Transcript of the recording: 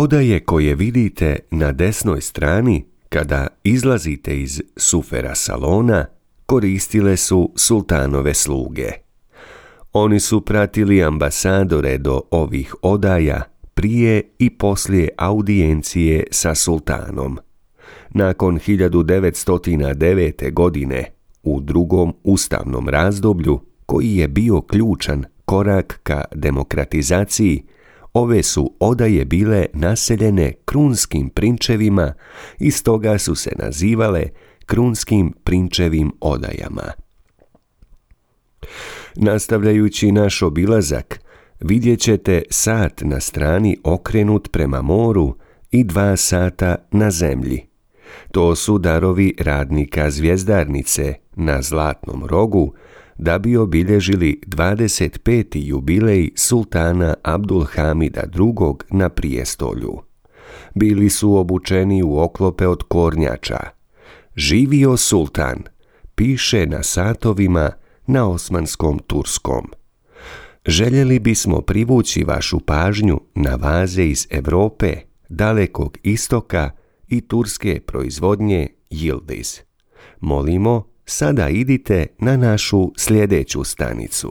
Odaje koje vidite na desnoj strani kada izlazite iz sufera salona koristile su sultanove sluge. Oni su pratili ambasadore do ovih odaja prije i poslije audijencije sa sultanom. Nakon 1909. godine, u drugom ustavnom razdoblju, koji je bio ključan korak ka demokratizaciji, ove su odaje bile naseljene krunskim prinčevima i stoga su se nazivale krunskim prinčevim odajama. Nastavljajući naš obilazak, vidjet ćete sat na strani okrenut prema moru i 2 sata na zemlji. To su darovi radnika zvjezdarnice na Zlatnom rogu da bi obilježili 25. jubilej sultana Abdulhamida II. Na prijestolju. Bili su obučeni u oklope od kornjača. Živio sultan, piše na satovima na osmanskom turskom. Željeli bismo privući vašu pažnju na vaze iz Europe, Dalekog istoka i turske proizvodnje Yildiz. Molimo, sada idite na našu sljedeću stanicu.